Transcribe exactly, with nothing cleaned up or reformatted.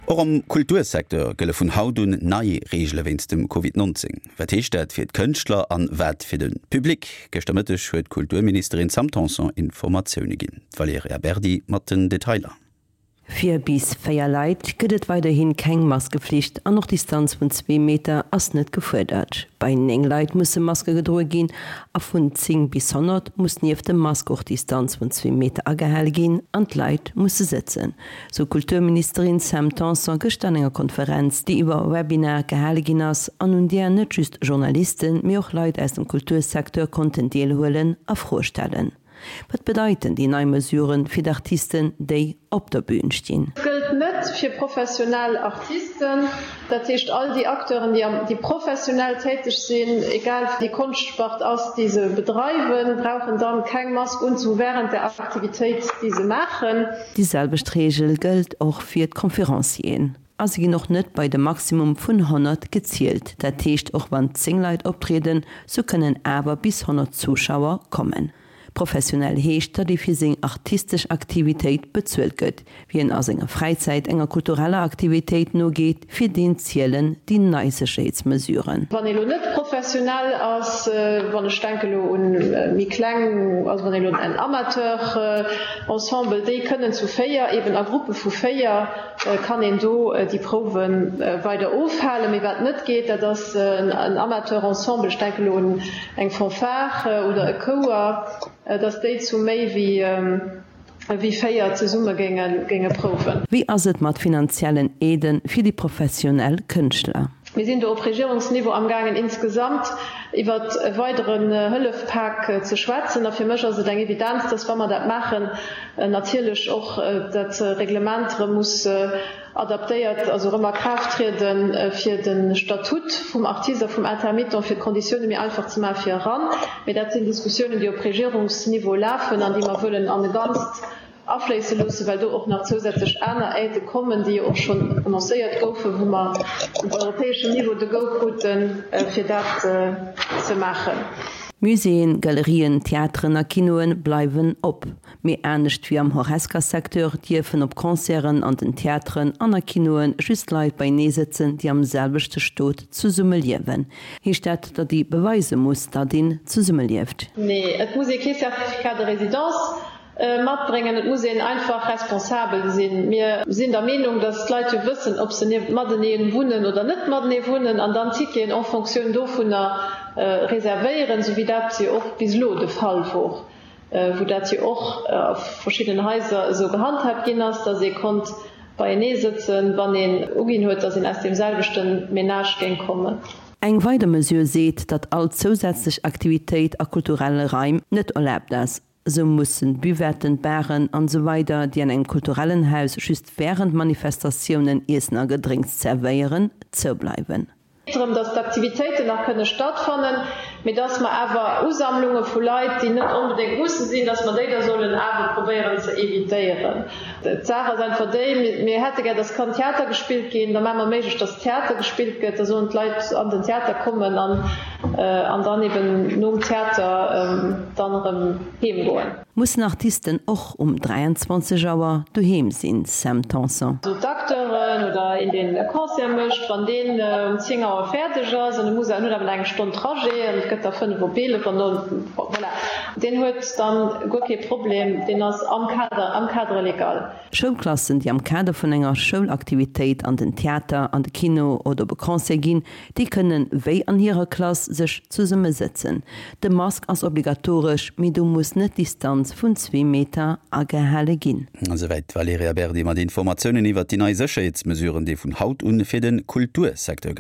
Och am Kultursecteur gëlle vun haut un nei Reegele wéinst dem Covid neunzéng. Wat heescht dat fir d'Kënschtler an wat fir de Public? Gëschter Mëtteg huet d'Kulturministerin Sam Tanson Informatioune ginn. D'Valerija Berdi mat den Detailer. Fir bis véier Leit gëtt et weiderhi keng Maskeflicht an och Distanz vun zwee Meter ass net gefuerdert. Bei néng Leit musse Maske gedroe ginn a vun zéng bis honnert muss nieft dem Mask och Distanz vun zwee Meter agehale ginn an d'Leit musse sëtzen, sou d'Kulturministerin Sam Tanson gëschter an enger Konferenz, déi iwwer Webinar gehale ginn ass an un där net just Journalisten, mee och Leit aus dem Kultursecteur konnten deelhuelen a Froe stellen. Wat bedeiten déi nei Mesuren fir d'Artisten, déi op der Bün stinn? Et gëllt net fir professionell Artisten, dat heescht all déi Acteuren, déi am, déi professionell täteg sinn, egal déi Konschtspart ass, déi se bedreiwen, brauchen dann keng Mask unzehunn während der Aktivitéit, déi se maachen. Déi selwecht Reegel gëllt och fir d'Conferencieren a se ginn och net bei de Maximum vun honnert gezielt. Dat heescht, och wann zéng Leit optrieden, sou kënnen awer bis honnert Zuschauer kommen. Professionell heescht, datt ee fir seng artistesch Aktivitéit bezuelt gëtt. Wien a senger Fräizäit enger kultureller Aktivitéit nogeet, fir deen zielen déi nei Sécherheetsmesuren. Wann ee lo net professionell ass, wann ech denke lo un méi kleng, also wann ee lo en Amateur-Ensemble, déi kënnen zu véier, eben a Gruppe vu véier kann een do déi Prouwe weider ofhalen. Mee wat net geet, dat ass en Amateur-Ensemble, ech denke lo un eng Fanfare oder e Chouer, dass déi zu méi wéi véier zesumme géinge prouwen. Wéi ass et mat finanziellen Aidë fir déi professionell Kënschtler? Mir sinn do op Regierungsniveau amgaangen insgesamt iwwert e weideren Hëllefpak ze schwätzen. A fir mech ass et eng Evidenz, dass, wa mer dat maachen, natierlech och dat Reglement erëm muss adaptéiert, also erëm a Kraaft trieden, fir de Statut vum Artist a vum Intermittent, fir d'Konditioune méi einfach ze maachen fir eran. Mee dat sinn Diskussiounen, déi op Regierungsniveau lafen an déi mer wëllen an e Ganzt afléisse loossen, well do och nach zousätzlech aner Aidë kommen, déi jo och schonn annoncéiert goufen, wou mer op europäeschem Niveau de Go kruten, fir dat ze maachen. Muséeën, Galerien, Theateren a Kinoe bleiwen op. Mee anescht wéi am Horesca-Secteur dierfen op Concerten an den Theateren an a Kinoe just Leit beienee sëtzen, déi am selwechte Stot zesumme liewen. Heescht dat, datt ee beweise muss, datt een zesumme lieft? Nee, et muss ee kee Certificat de résidence matbréngen. Et muss een einfach responsabel sinn. Mir sinn der Meenung, datt d'Leit jo wëssen, ob se matenee wunnen oder net matenee wunnen an dann d'Ticketen en Fonctioun dovunner reservéieren, esou wéi dat jo och bis elo de Fall wor. wou dat jo och a verschiddenen Haiser esou gehandhaabt ginn ass, dass ee konnt beienee sëtzen, wann een uginn huet, dass een aus deem selwechte Ménage géing kommen. Eng weider Mesure seet, datt all zousätzlech Aktivitéit a kulturelle Raim net erlaabt ass. Esou mussen Buvetten, Baren an esou weider, déi an engem kulturellen Haus just wärend Manifestatiounen Iessen a Gedrénks zerwéieren, zoubleiwen. Drëm, dass d'Aktivitéiten nach kënne stattfannen, mee dass mer awer Usammlunge vu Leit, déi net onbedéngt musse sinn, dass mer déi da sollen awer probéieren ze évitéieren. D'Saach ass einfach déi, mir hätte gär, dass kann Theater gespillt ginn, da maache mer méiglech, dass Theater gespillt gëtt, da sollen d'Leit an den Theater kommen an an dann eben nom Theater dann erëm heem goen. Mussen Artisten och um dräianzwanzeg Auer doheem sinn, Sam Tanson? Also d'Acteuren oder een deen e Concert mécht, wann deen um zéng Auer fäerdeg ass an e muss en huet awer nach eng Stonn Trajet an et gëtt da fënnef op eelef an dann voilà, deen huet dann guer kee Problem, deen ass am Kader, am Cadre légal. Schoulklassen, déi am Kader vun enger Schoulaktivitéit an den Theater, an de Kino oder op e Concert ginn, déi kënnen, wéi an hirer Klass, sech zesumme sëtzen. De Mask ass obligatoresch, mee do muss net d'Distanz vun zwee Meter agehale ginn. Esouwäit d'Valerija Berdi mat Informatiounen iwwert déi nei Sécherheetsmesuren, déi vun haut un fir de Kultursecteur gëllen.